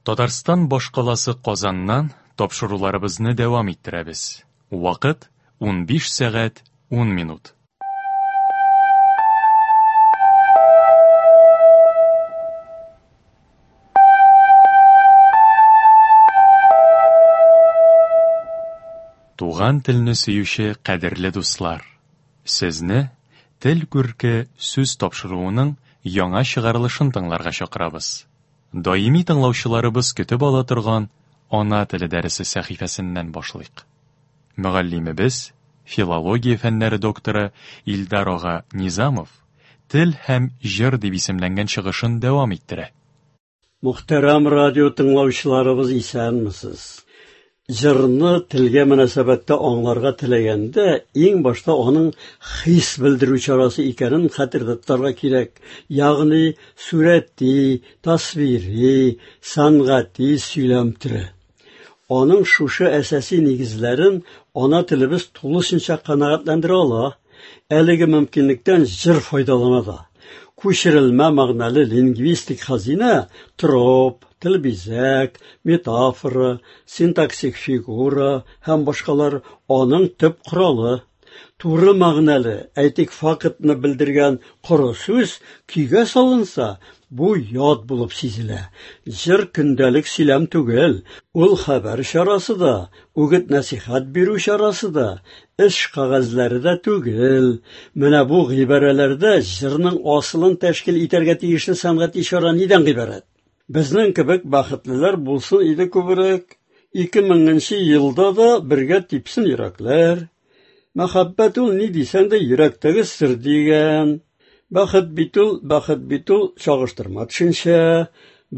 Татарстан башкаласы Казаннан тапшыруларыбызны дәвам иттерәбез. Вакыт 15 сәгать 10 минут. Туган телне сөюче кадерле дуслар, сезне Тел күрке сүз тапшыруының яңа чыгарылышын тыңларга чакырабыз. Даими тыңлаучыларыбыз көтеп ала торган Ана теле дәресе сәхифәсеннән башлыйк. Мөгаллимебез, филология фәннәре докторы Илдар ага Низамов Тел һәм җыр дип исемләнгән чыгышын дәвам иттерә. Мөхтәрәм радио тыңлаучыларыбыз, исәнмесез! Җырны телгә мөнәсәбәттә аңларга теләгәндә, иң башта аның хис белдерү чарасы икәнен хәтердә тотарга кирәк, ягъни сурәти, тасвири, сәнгати сөйләм төре. Аның шушы әсәси нигезләрен ана телебез тулысынча канәгатьләндерә ала. Әлеге мөмкинлектән җыр файдалана да. Күчерелмә мәгънәле лингвистик хәзинә троп, телбизәк, метафора, синтаксик фигура һәм башкалар аның төп коралы. Туры мәгънәле, әйтик, фактны белдергән коры сүз көйгә салынса, бу ят булып сизелә. Җыр көндәлек сөйләм түгел, ул хәбәр чарасы да, үгет-нәсихәт бирү чарасы да, эш кәгазьләре дә түгел. Менә бу гыйбарәләрдә җырның асылын тәшкил итәргә тиешле сәнгати чара нидән гыйбарәт? Безнең кебек бәхетлеләр булсын иде күбрәк. 2000 елда да бергә типсен йөрәкләр. Мәхәббәт ул ни дисәң дә йөрәктәге сер дигән. Бәхет бит ул, бәхет бит ул чагыштырма төшенчә.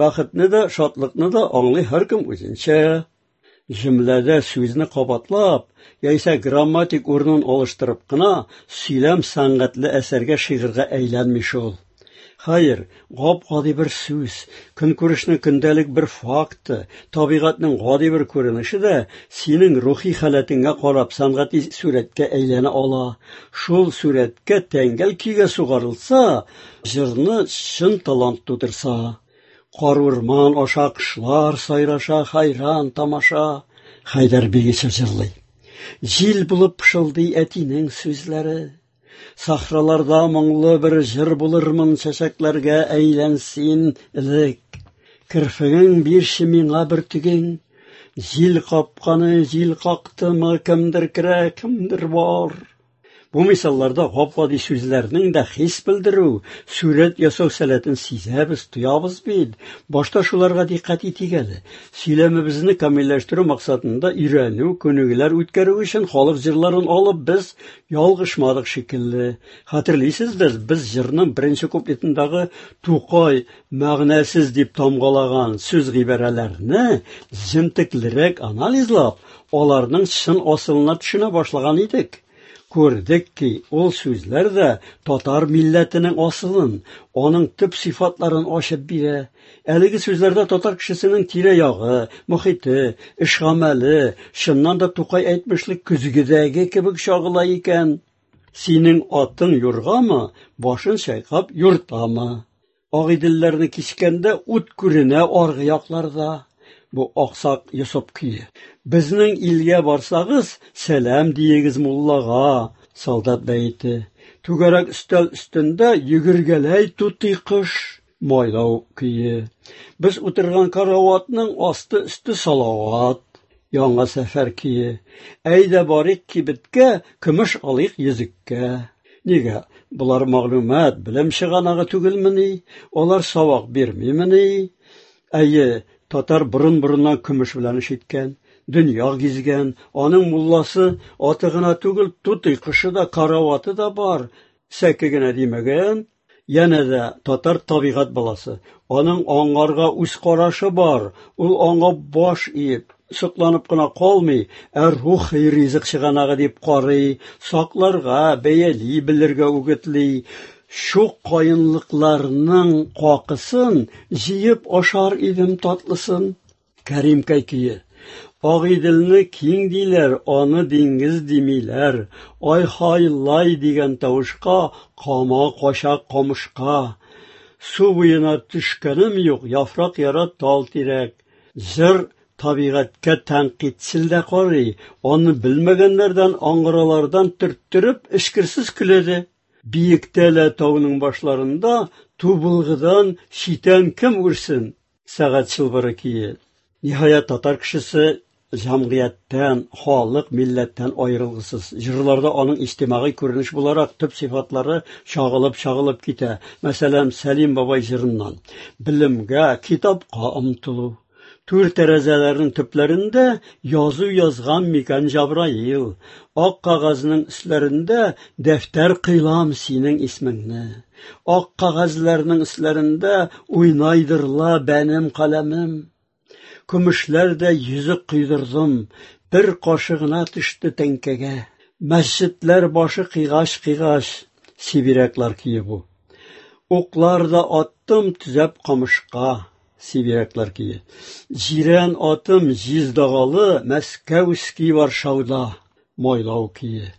Бәхетне дә, шатлыкны да аңлый һәркем үзенчә. Җөмләдә сүзне кабатлап, яисә грамматик урынын алыштырып кына сөйләм сәнгатьле әсәргә, шигырьгә әйләнми шул. Хәер, гап-гади бер сүз, көнкүрешнең көндәлек бер факты, табигатьнең гади бер күренеше дә синең рухи халәтеңә карап сәнгати сурәткә әйләнә ала. Шул сурәткә тәңгәл көйгә сугарылса, җырны чын талант тудырса. Карурман аша кошлар сайраша, хайран тамаша. Хәйдәр Бигичев җырлый. Җил булып пышылдый әтинең сүзләре. Сахраларда моңлы бер җыр булырмын, чәчәкләргә әйлән син элек. Керфегең бирче миңа бөртегең. Җил капканы җил кактымы, кемдер керә, кемдер бар. Бу мисалларда гап-гади сүзләрнең дә хис белдерү, сурәт ясау сәләтен сизәбез, тоябыз бит. Башта шуларга дикъкать итик әле. Сөйләмебезне камилләштерү максатында өйрәнү, күнегүләр үткәрү өчен халык җырларын алып без ялгышмадык шикелле. Хәтерлисездер, без җырның беренче куплетындагы Тукай мәгънәсез дип тамгалаган сүз-гыйбарәләрне җентеклерәк анализлап, аларның чын асылына төшенә башлаган идек. Күрдек ки, ул сүзләр дә татар милләтенең асылын, аның төп сыйфатларын ачып бирә. Әлеге сүзләрдә татар кешесенең тирә-ягы, мохите, эш-гамәле, чыннан да Тукай әйтмешли, көзгедәге кебек чагыла икән. Синең атың юргамы, башын чайкап юртамы? Агыйделләрне кичкәндә ут күренә аргы якларда. Бу Аксак Йосып көе. Безнең илгә барсагыз, сәлам диегез муллага. Солдат бәете. Түгәрәк өстәл өстендә йөгергәләй тутый кош. Майлау көе. Без утырган караватның асты-өсте салават. Яңа сәфәр көе. Әйдә барыйк кибеткә, көмеш алыйк йөзеккә. Нигә? Болар мәгълүмат, белем чыганагы түгелмени? Алар сабак бирмимени? Әйе, татар борын-борыннан көмеш белән эш иткән, дөнья гизгән, аның мулласы аты гына түгел, тутый кошы да, караваты да бар. Сәке генә димәгән. Янә дә татар табигать баласы. Аның аңарга үз карашы бар. Ул аңа баш иеп, сокланып кына калмый, ә рухи ризык чыганагы дип карый, сакларга, бәяли белергә үгетли. Шук каенлыкларның какысын җыеп ашар идем татлысын. Кәримкәй көе. Агыйделне киң диләр, аны диңгез димиләр. Ай-һай-лай дигән тавышка кама кача камышка. Су буена төшкәнем юк, яфрак яра тал-тирәк. Җыр табигатькә тәнкыйтьчел дә карый, аны белмәгәннәрдән, аңгыралардан төрттереп, эчкерсез көлә дә. Биектә лә тауның башларында тубылгыдан читән кем үрсен? Сәгать чылбыры көе. Ниһаять, татар кешесе җәмгыятьтән, халык, милләттән аерылгысыз. Җырларда аның иҗтимагый күренеш буларак төп сыйфатлары чагылып-чагылып китә. Мәсәлән, Сәлим бабай җырыннан. Белемгә, китапка омтылу. Түр тәрәзәләрнең төпләрендә язу язган микән Җабраил. Ак кәгазьнең өсләрендә дәфтәр кыйлам синең исмеңне. Ак кәгазьләрнең өсләрендә уйнайдыр ла бәнем каләмем. Көмешләр дә йөзек койдырдым, бер кашы гына төште тәңкәгә. Мәсҗедләр башы кыйгач-кыйгач, Сибиряклар көе бу. Уклар да аттым төзәп камышка. Сибиряклар көе. Җирән атым җиз дагалы, Мәскәүский Варшауда. Майлау көе.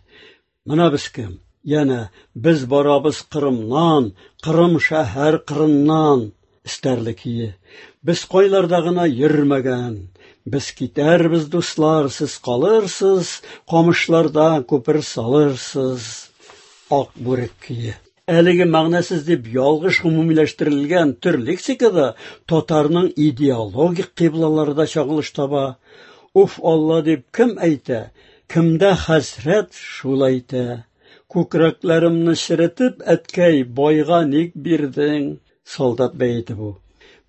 Менә без кем? Янә без барабыз Кырымнан, Кырым шәһәр кырыннан. Эстәрле көе. Без кайларда гына йөрмәгән. Без китәрбез, дуслар, сез калырсыз, камышларда күпер салырсыз. Ак бүрек көе. Әлеге мәгънәсез дип ялгыш гомумиләштерелгән төр лексикада татарның идеологик кыйблалары да чагылыш таба. Уф Алла дип кем әйтә? Кемдә хәсрәт, шул әйтә. Күкрәкләремне черетеп, әткәй, байга ник бирдең? Солдат бәете бу.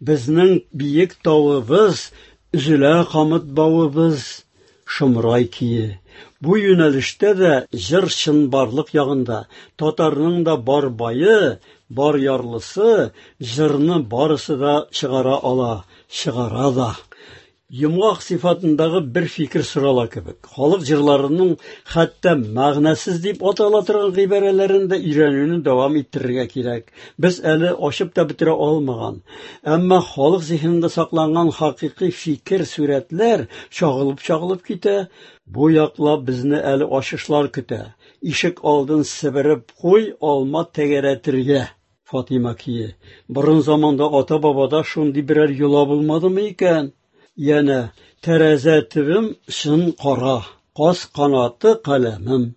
Безнең биек тавыбыз, өзелә камыт бавыбыз. Шомрай көе. Бу юнәлештә дә җыр чынбарлык ягында. Татарның да бар бае, бар ярлысы җырны барысы да чыгара ала, чыгара да. Йомгак сыйфатындагы бер фикер сорала кебек. Халык җырларының хәтта мәгънәсез дип атала торган гыйбарәләрен дә өйрәнүне дәвам иттерергә кирәк. Без әле ачып та бетерә алмаган, әмма халык зиһенендә сакланган хакыйкый фикер, сурәтләр чагылып-чагылып китә. Бу яклап безне әле ачышлар көтә. Ишек алдын себереп куй, алма тәгәрәтергә. Фатыйма көе. Борын заманда ата-бабада шундый берәр йола булмадымы икән? Янә тәрәзә төбем чын кара, каз канаты каләмем.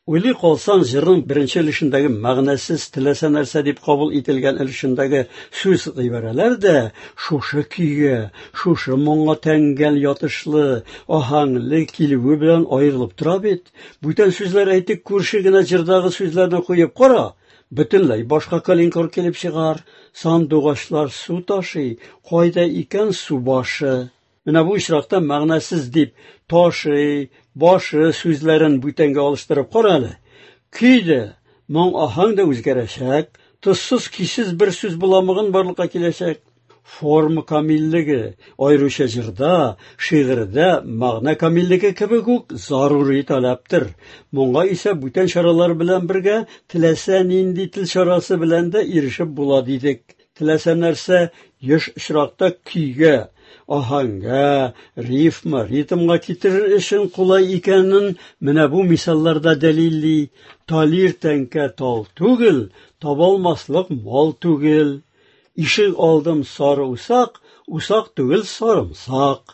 Уйлый калсаң, җырның беренче өлешендәге мәгънәсез теләсә нәрсә дип кабул ителгән өлешендәге сүз гыйбарәләр дә шушы көйгә, шушы моңга тәңгәл ятышлы, аһәңле килүе белән аерылып тора бит. Бүтән сүзләр әйтик, күрше генә җырдагы сүзләрне куеп кара, бөтенләй башка калинкор килеп чыгар. Сандугачлар су ташый, кайда икән су башы? Менә бу очракта мәгънәсез дип ташый, башы сүзләрен бүтәнгә алыштырып кара әле. Көй дә, моң аһәң дә үзгәрәчәк, тозсыз, көйсез бер сүз боламыгын барлыкка киләчәк. Форма камиллеге, аеруча җырда, шигырьдә мәгънә камиллеге кебек үк зарури таләптер. Моңа исә бүтән чаралар белән бергә теләсә нинди тел чарасы белән дә ирешеп була дидек. Теләсә нәрсә еш очракта көйгә, аһәңгә, рифма, ритмга китерер өчен кулай икәнен менә бу мисалларда дәлилли. Талир тәңкә тал түгел, табалмаслык мал түгел. Ишек алдым сары усак, усак түгел сарымсак.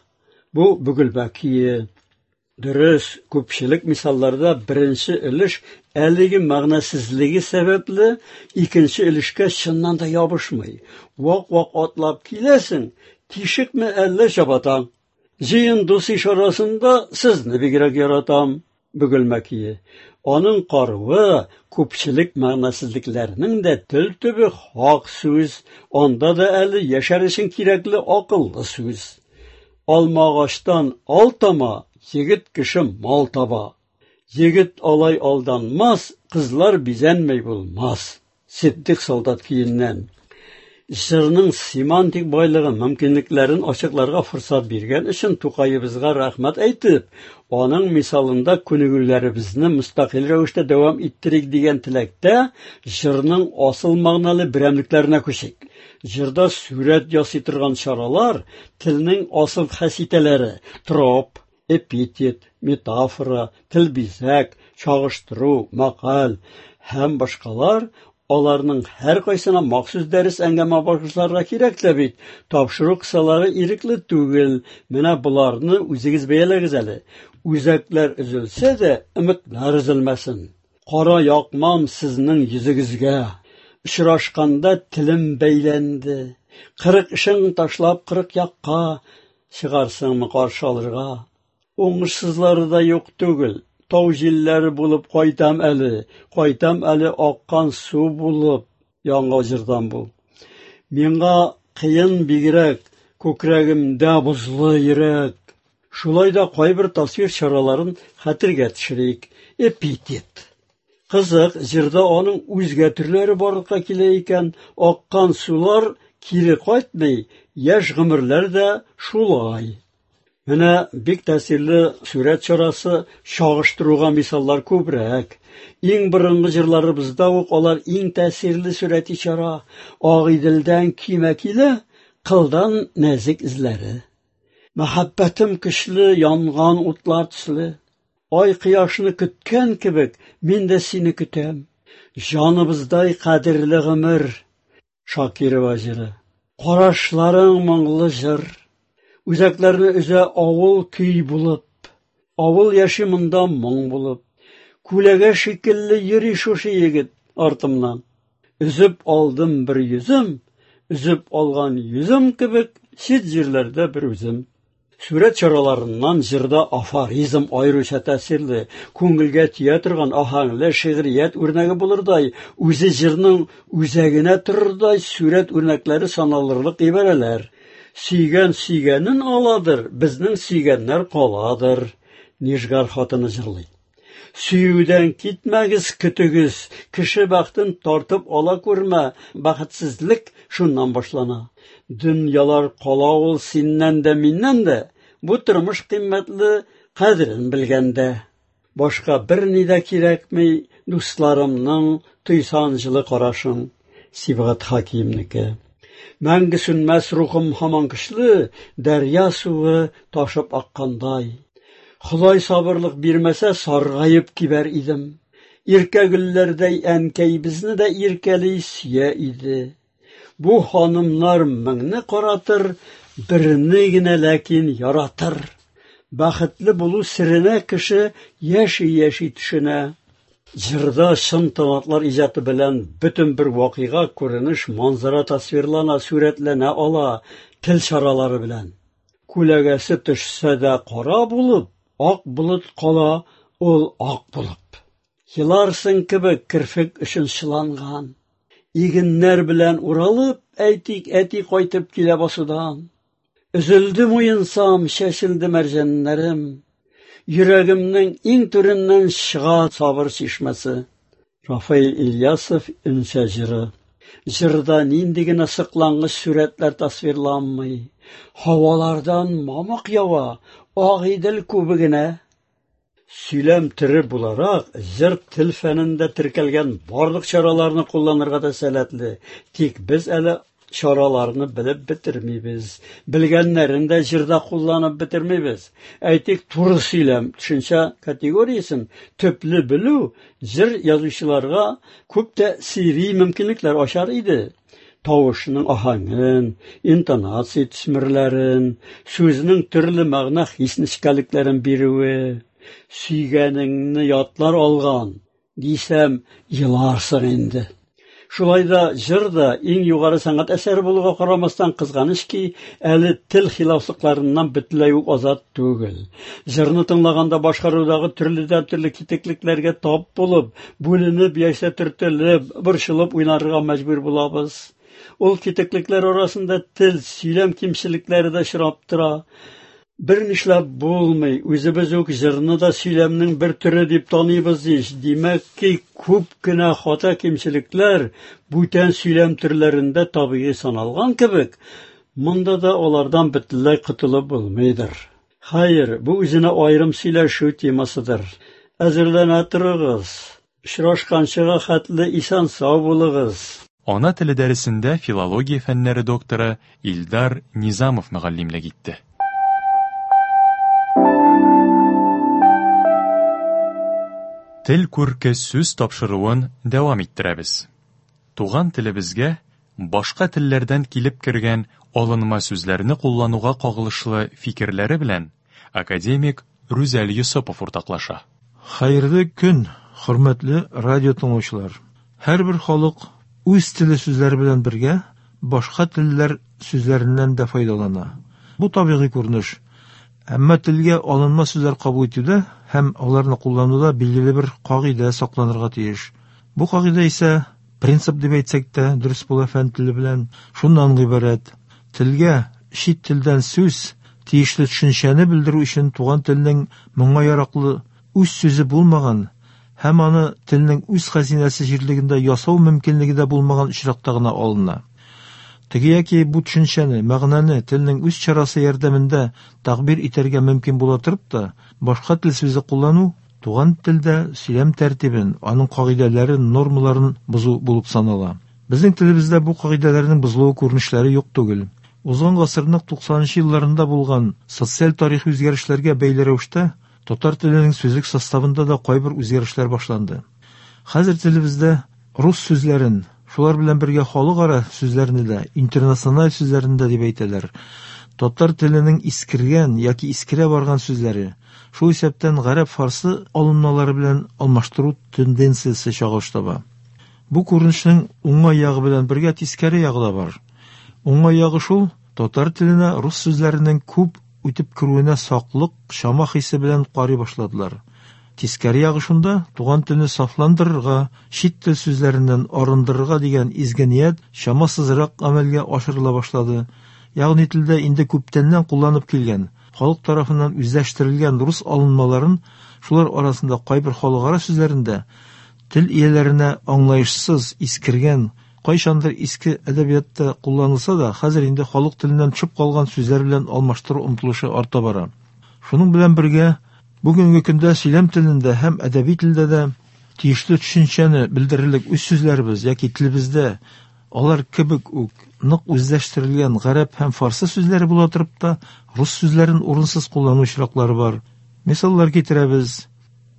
Бу Бөгелмә көе. Дөрес, күпчелек мисалларда беренче өлеш әлеге мәгънәсезлеге сәбәпле икенче өлешкә чыннан да ябышмый. Вак-вак атлап киләсең, тишекме әллә чабатаң? Җыен дус иш арасында сезне бигрәк яратам. Бөгелмә көе. Аның каруы күпчелек мәгънәсезлекләрнең дә тел төбе хак сүз, анда да әле яшәр өчен кирәкле акыллы сүз. Алмагачтан ал тама, егет кеше мал таба. Егет алай алданмас, кызлар бизәнмәй булмас. Ситдыйк солдат көеннән. Җырның семантик байлыгын, мөмкинлекләрен ачыкларга форсат биргән өчен Тукаебызга рәхмәт әйтеп, аның мисалында күнегүләребезне мөстәкыйль рәвештә дәвам иттерик дигән теләктә җырның асыл мәгънәле берәмлекләренә күчик. Җырда сурәт ясый торган чаралар телнең асыл хаситәләре, троп, эпитет, метафора, тел бизәк, чагыштыру, мәкаль һәм башкалар Аларның һәркайсына махсус дәрес әңгәмә багышларга кирәк тә бит. Тапшыру кысалары ирекле түгел. Менә боларны үзегез бәяләгез әле. Үзәкләр өзелсә дә, өметләр өзелмәсен. Кара якмам сезнең йөзегезгә. Очрашканда телем бәйләнде. 40 эшең ташлап 40 якка чыгарсыңмы каршы алырга? Уңышсызлары да юк түгел. Тау җилләре булып кайтам әле, кайтам әле аккан су булып. Яңа җырдан бу. Миңа кыен бигрәк, күкрәгемдә бозлы йөрәк. Шулай да кайбер тасвир чараларын хәтергә төшерик. Эпитет. Кызык, җырда аның үзгә төрләре барлыкка килә икән. Аккан сулар кире кайтмый, яшь гомерләр дә шулай. Менә бик тәэсирле сурәт чарасы, чагыштыруга мисаллар күбрәк. Иң борынгы җырларыбызда ук алар иң тәэсирле сурәти чара. Агыйделдән көймә килә, кылдан нәзек эзләре. Мәхәббәтем көчле, янган утлар төсле. Ай кояшны көткән кебек, мин дә сине көтәм. Җаныбыздай кадерле гомер. Шакирова җыры. Карашларың моңлы җыр. Үзәкләрне өзә авыл көй булып. Авыл яши монда моң булып. Күләгә шикелле йөри шушы егет артымнан. Өзеп алдым бер йөзем, өзеп алган йөзем кебек чит җирләрдә бер үзем. Сурәт чараларыннан җырда афоризм аеруча тәэсирле, күңелгә тия торган аһәңле шигърият үрнәге булырдай, үзе җырның үзәгенә торырдай сурәт үрнәкләре саналырлык гыйбарәләр. Сөйгән сөйгәнен аладыр, безнең сөйгәннәр каладыр. Нижгар хатыны җырлый. Сөюдән китмәгез, көтегез, кеше бәхтен тартып ала күрмә, бәхетсезлек шуннан башлана. Дөньялар кала ул синнән дә, миннән дә, бу тормыш кыйммәтле, кадерен белгәндә. Башка берни дә кирәкми, дусларымның тойсан җылы карашын. Сибгат Хакимнеке. Мәңге сүнмәс рухым һаман көчле, дәрья суы ташып аккандай. Ходай сабырлык бирмәсә, саргаеп кибәр идем. Иркә гөлләрдәй әнкәй безне дә иркәли сөя иде. Бу ханымнар меңне каратыр, берне генә ләкин яратыр. Бәхетле булу серенә кеше яши-яши төшенә. Җырда чын талантлар иҗаты белән бөтен бер вакыйга, күренеш, манзара тасвирлана, сурәтләнә ала тел чаралары белән. Күләгәсе төшсә дә кара булып, ак болыт кала ул ак булып. Еларсың кебек керфек өчен чыланган. Игеннәр белән уралып, әйтик, әти кайтып килә басудан. Өзелде муенсам, чәчелде мәрҗәннәрем. Йөрәгемнең иң түреннән чыга сабыр чишмәсе. Рафаэль Ильясов Өнсә җыры. Җырда нинди генә сыклангыч сурәтләр тасвирланмый. Һавалардан мамык ява, Агыйдел күбегенә. Сөйләм төре буларак, җыр тел фәнендә теркәлгән барлык чараларны кулланырга да сәләтле. Тик без әле чараларны белеп бетермибез. Белгәннәрен дә җырда кулланып бетермибез. Әйтик, туры сөйләм төшенчә категориясен төпле белү җыр язучыларга күп тәэсири мөмкинлекләр ачар иде. Тавышның аһәңен, интонация төсмерләрен, сүзнең төрле мәгънә хис нечкәлекләрен бирүе, сөйгәнеңне ятлар алган, дисәм, еларсың инде. Шулай да җыр да иң югары сәнгать әсәре булуга карамастан, кызганыч ки, әле тел хилафлыкларыннан бөтенләй үк азат түгел. Җырны тыңлаганда башкарудагы төрледән-төрле китеклекләргә тап булып, бүленеп яисә төртелеп, борчылып уйнарга мәҗбүр булабыз. Ул китеклекләр арасында тел, сөйләм кимчелекләре дә очрап тора. Бер нишләп булмый, үзебез үк җырны да сөйләмнең бер төре дип таныйбыз ич. Димәк ки, күп кенә хата кимчелекләр бүтән сөйләм төрләрендә табигый саналган кебек, монда да алардан бөтенләй котылып булмыйдыр. Хәер, бу үзенә аерым сөйләшү темасыдыр. Әзерләнә торыгыз. Очрашканчыга хәтле исән-сау булыгыз. Ана теле дәресендә филология фәннәре докторы Илдар Низамов мөгаллимлек итте. Тел күрке сүз тапшыруын дәвам иттерәбез. Туган телебезгә башка телләрдән килеп кергән алынма сүзләрне куллануга кагылышлы фикерләре белән академик Рүзәл Йосыпов уртаклаша. Хәерле көн, хөрмәтле радио тыңлаучылар! Һәрбер халык үз теле сүзләре белән бергә башка телләр сүзләреннән дә файдалана. Бу табигый күренеш. Әмма телгә алынма сүзләр кабул итүдә һәм аларны куллануда билгеле бер кагыйдә сакланырга тиеш. Бу кагыйдә исә, принцип дип әйтсәк тә, дөрес була фән теле белән, шуннан гыйбарәт: телгә чит телдән сүз, тиешле төшенчәне белдерү өчен туган телнең моңа яраклы үз сүзе булмаган һәм аны телнең үз хәзинәсе җирлегендә ясау мөмкинлеге дә булмаган очракта гына алына. Теге яки бу төшенчәне, мәгънәне телнең үз чарасы ярдәмендә тәгъбир итәргә мөмкин була торып та, башка тел сүзе куллану туган телдә сөйләм тәртибен, аның кагыйдәләрен, нормаларын бозу булып санала. Безнең телебездә бу кагыйдәләрнең бозылуы күренешләре юк түгел. Узган гасырның 90 нчы елларында булган социаль-тарихи үзгәрешләргә бәйле рәвештә, татар теленең сүзлек составында да кайбер үзгәрешләр башланды. Хәзер телебездә рус сүзләрен, шулар белән бергә халыкара сүзләрне дә, интернациональ сүзләрне дә дип әйтәләр, татар теленең искергән яки искерә барган сүзләре, шул исәптән гарәп-фарсы алынмалары белән алмаштыру тенденциясе чагылыш таба. Бу күренешнең уңай ягы белән бергә тискәре ягы да бар. Уңай ягы шул, татар теленә рус сүзләренең күп үтеп керүенә саклык, чама хисе белән карый башладылар. Тискәре ягы шунда, туган телне сафландырырга, чит тел сүзләреннән арындырырга дигән изге ният чамасызрак гамәлгә ашырыла башлады. Ягъни телдә инде күптәннән кулланып килгән, халык тарафыннан үзләштерелгән рус алынмаларын, шулар арасында кайбер халыкара сүзләрен дә, тел ияләренә аңлаешсыз, искергән, кайчандыр иске әдәбиятта кулланылса да, хәзер инде халык теленнән төшеп калган сүзләр белән алмаштыру омтылышы арта бара. Шуның белән бергә, бүгенге көндә сөйләм телендә һәм әдәби телдә дә тиешле төшенчәне белдерерлек үз сүзләребез яки телебездә алар кебек үк нык үзләштерелгән гарәп һәм фарсы сүзләре була торып та, рус сүзләрен урынсыз куллану очраклары бар. Мисаллар китерәбез.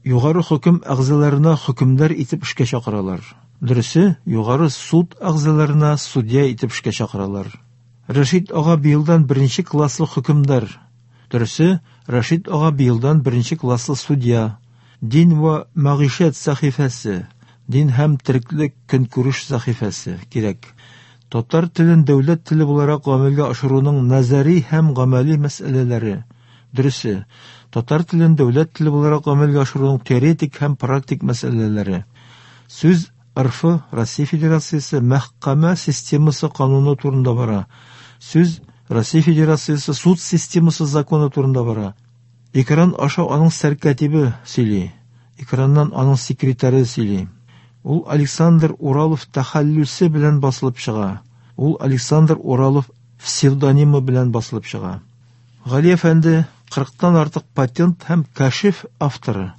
Югары хөкем әгъзаларына хөкемдар итеп эшкә чакыралар. Дөресе, Югары суд әгъзаларына судья итеп эшкә чакыралар. Рәшит ага быелдан беренче класслы хөкемдар. Дөресе, Рәшит ага быелдан беренче класслы судья. Дин вә мәгыйшәт сәхифәсе, дин һәм тереклек көнкүреш сәхифәсе, кирәк. Татар телен дәүләт теле буларак гамәлгә ашыруның нәзари һәм гамәли мәсьәләләре. Дөресе, татар телен дәүләт теле буларак гамәлгә ашыруның теоретик һәм практик мәсьәләләре. Сүз РФ, Россия Федерациясе, мәхкәмә системасы кануны турында бара. Сүз Россия Федерациясе суд системасы законы турында бара. Экран аша аның сәркатибе сөйли. Экраннан аның секретаре сөйли. Ул Александр Уралов тәхәллүсе белән басылып чыга. Ул Александр Уралов псевдонимы белән басылып чыга. Гали әфәнде кырыктан артык патент һәм кәшиф авторы.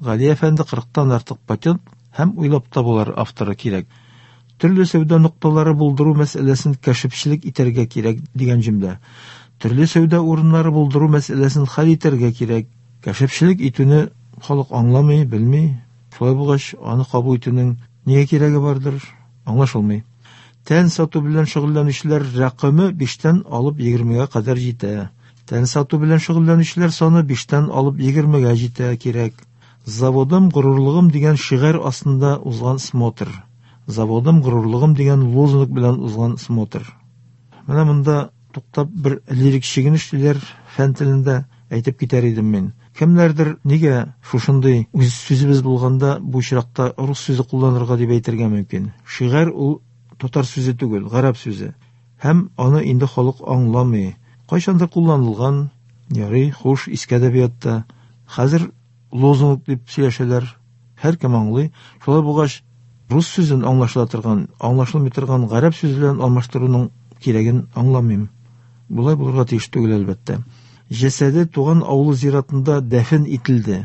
Гали әфәнде кырыктан артык патент һәм уйлап табулар авторы кирәк. Төрле сәүдә нокталары булдыру мәсьәләсен кәшифчелек итәргә кирәк дигән җөмлә. Төрле сәүдә урыннары булдыру мәсьәләсен хәл итәргә кирәк. Кәшифчелек итүне халык аңламый, белми. Шулай булгач, аны кабул итүнең нигә кирәге бардыр, аңлашылмый. Тән сату белән шөгыльләнүчеләр рәкаме биштән алып егермегә кадәр җитә. Тән сату белән шөгыльләнүчеләр саны биштән алып егермегә җитә кирәк. Заводым горурлыгым дигән шигарь астында узган смотр. Заводым горурлыгым дигән лозунг белән узган смотр. Менә монда туктап бер лирик чигенеш диләр фән телендә әйтеп китәр идем мин. Кемнәрдер нигә шушындый үз сүзебез булганда бу очракта рус сүзе кулланырга дип әйтергә мөмкин. Шигарь ул татар сүзе түгел, гарәп сүзе. Һәм аны инде халык аңламый. Кайчандыр кулланылган, ярый, хуш, иске әдәбиятта. Хәзер лозунг дип сөйләшәләр. Һәркем аңлый. Шулай булгач, рус сүзен аңлашыла торган, аңлашылмый торган гарәп сүзе белән алмаштыруның кирәген аңламыйм. Болай булырга тиеш түгел, әлбәттә. Җәсәде туган авылы зиратында дәфен ителде.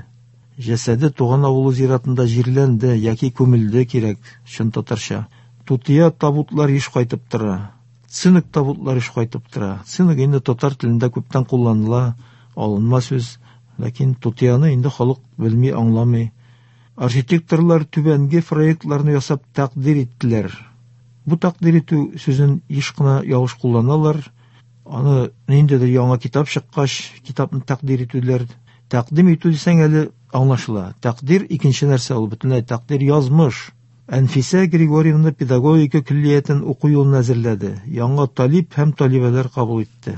Җәсәде туган авылы зиратында җирләнде яки күмелде кирәк, чын татарча. Тутыя табутлар еш кайтып тора. Цинк табутлар еш кайтып тора. Цинк инде татар телендә күптән кулланыла, алынма сүз. Ләкин тутыяны инде халык белми, аңламый. Архитекторлар түбәнге проектларны ясап тәкъдир иттеләр. Бу тәкъдир итү сүзен еш кына ялгыш кулланалар. Аны ниндидер яңа китап чыккач, китапны тәкъдир итүләр. Тәкъдим итү дисәң әле аңлашыла. Тәкъдир икенче нәрсә ул, бөтенләй тәкъдир язмыш. Әнфисә Григорьевна педагогика көллиятен уку юлын әзерләде, яңа талип һәм талибәләр кабул итте.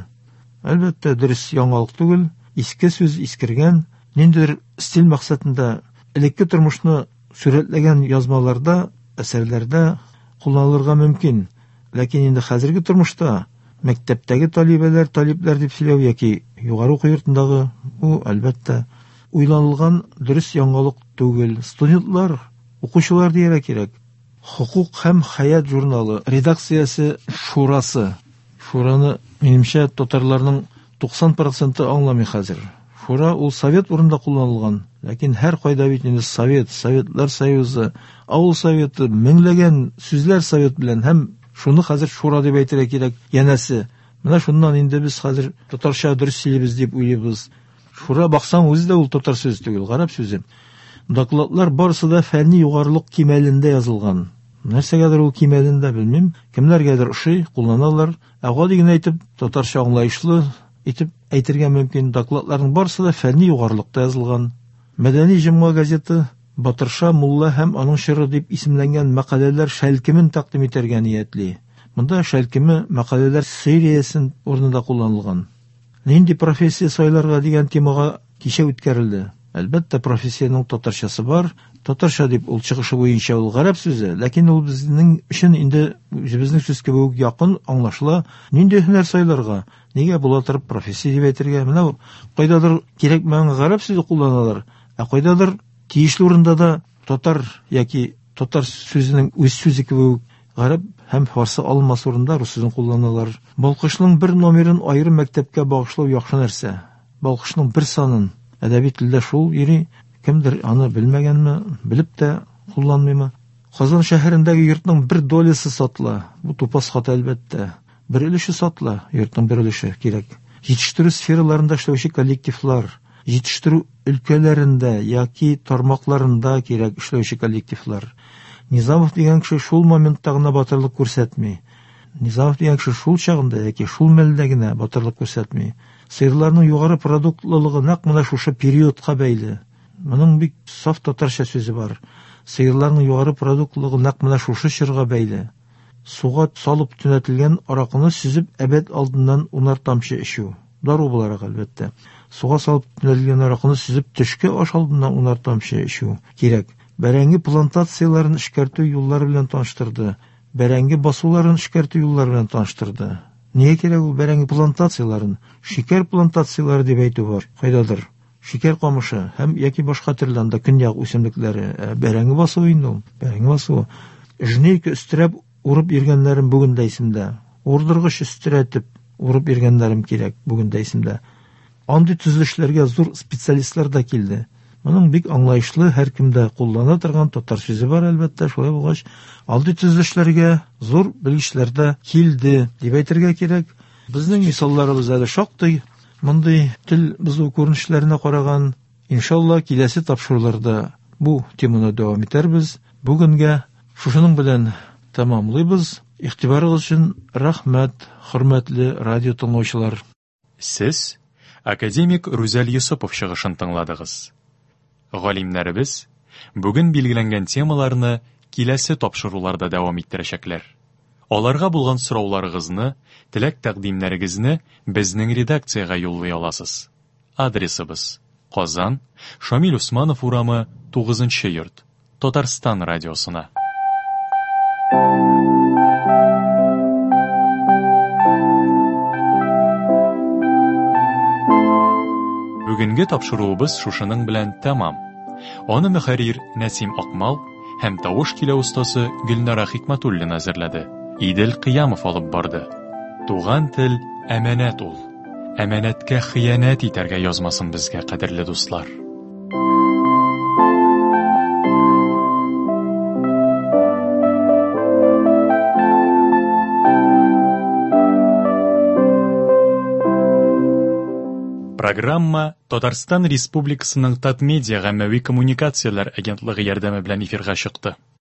Әлбәттә, дөрес яңалык түгел, иске сүз искергән, ниндидер стиль максатында элекке тормышны сурәтләгән язмаларда, әсәрләрдә кулланылырга мөмкин. Ләкин инде хәзерге тормышта мәктәптәге талибәләр, талипләр дип сөйләү яки югары уку йортындагы бу, әлбәттә, уйланылган дөрес яңалык түгел. Студентлар, укучылар дияргә кирәк. Хокук һәм хәят журналы редакциясе шурасы. Шураны, минемчә, татарларның 90 проценты аңламый хәзер. Шура ул совет урында кулланылган, ләкин һәр кайда бит инде совет, Советлар Союзы, авыл советы, меңләгән сүзләр совет белән һәм шуны хәзер шура дип әйтергә кирәк, янәсе. Менә шуннан инде без хәзер татарча дөрес сөйлибез дип уйлыйбыз. Шура баксаң үзе дә ул татар сүзе түгел, гарәп сүзе. Докладлар барысы да фәнни югарылык кимәлендә язылган. Нәрсәгәдер ул кимәлендә белмим, кемнәргәдер ошый, кулланалар. Ә гади генә итеп, татарча аңлаешлы итеп әйтергә мөмкин. Докладларның барысы да фәнни югарылыкта язылган. Мәдәни җомга газеты Батырша мулла һәм аның чоры дип исемләнгән мәкаләләр шәлкемен тәкъдим итәргә ниятли. Монда шәлкеме мәкаләләр сериясен урынында кулланылган. Нинди профессия сайларга дигән темага кичә үткәрелде. Әлбәттә, профессиянең татарчасы бар. Татарча дип ул чыгышы буенча ул гарәп сүзе, ләкин ул безнең өчен инде үзебезнең сүз кебек үк якын, аңлашыла. Нинди һөнәр сайларга? Нигә була торып профессия дип әйтергә? Менә кайдадыр кирәкмәгән гарәп сүзе кулланалар, ә кайдадыр тиешле урында да татар яки татар сүзенең үз сүзе кебек үк гарәп һәм фарсы алынмасы урында рус сүзен кулланалар. Балкышның бер номерын аерым мәктәпкә багышлау яхшы нәрсә. Балкышның бер санын әдәби телдә шул йөри, кемдер аны белмәгәнме, белеп тә кулланмыймы? Казан шәһәрендәге йортның бер долясы сатыла. Бу тупас хата, әлбәттә. Бер өлеше сатыла, йортның бер өлеше кирәк. Җитештерү сфераларында эшләүче коллективлар, җитештерү өлкәләрендә яки тармакларында кирәк эшләүче коллективлар. Низамов дигән кеше шул моментта гына батырлык күрсәтми. Низамов дигән кеше шул чагында яки шул мәлдә генә батырлык күрсәтми. Сыерларның югары продуктлылыгы нәкъ менә шушы периодка бәйле. Моның бик саф татарча сүзе бар. Сыерларның югары продуктлылыгы нәкъ менә шушы чорга бәйле. Суга салып төнәтелгән аракыны сөзеп әбәд алдыннан унар тамчы эчү. Дару буларак, әлбәттә. Суга салып төнәтелгән аракыны сөзеп төшке аш алдыннан унар тамчы эчү кирәк. Бәрәңге плантацияләрен эшкәртү юллары белән таныштырды. Бәрәңге басуларын эшкәртү юллары белән таныштырды. Нигә кирәк ул бәрәңге плантацияләрен? Шикәр плантацияләре дип әйтү бар кайдадыр. Шикәр камышы һәм яки башка төрле анда көньяк үсемлекләре. Ә бәрәңге басуы инде ул. Бәрәңге басуы. Жнейка өстерәп урып йөргәннәрем бүген дә исемдә. Урдыргыч өстерәтеп урып йөргәннәрем кирәк бүген дә исемдә. Андый төзелешләргә зур специалистлар да килде. Моның бик аңлаешлы, һәркем дә куллана торган татар сүзе бар, әлбәттә. Шулай булгач, андый төзелешләргә зур белгечләр дә килде, дип әйтергә кирәк. Безнең мисалларыбыз әле шактый. Мондый тел бозу күренешләренә караган, иншалла, киләсе тапшыруларда бу теманы дәвам итәрбез. Бүгенгә шушының белән тәмамлыйбыз. Игътибарыгыз өчен рәхмәт, хөрмәтле радио тыңлаучылар. Сез академик Рүзәл Йосыпов чыгышын тыңладыгыз. Галимнәребез бүген билгеләнгән темаларны киләсе тапшыруларда дәвам иттерәчәкләр. Аларга булган сорауларыгызны, теләк-тәкъдимнәрегезне безнең редакциягә юллый аласыз. Адресыбыз: Казан, Шамил Усманов урамы, 9 нчы йорт, Татарстан радиосына. Бүгенге тапшыруыбыз шушының белән тәмам. Аны мөхәррир Нәсим Акмал һәм тавыш килә остасы Гөлнара Хикматуллина әзерләде. Идел Кыямов алып барды. Туган тел әманәт ул. Әманәткә хыянәт итәргә язмасын безгә, кадерле дуслар. Программа Татарстан Республикасының Татмедиа гаммәви коммуникацияләр агентлыгы ярдәме белән эфирга чыкты.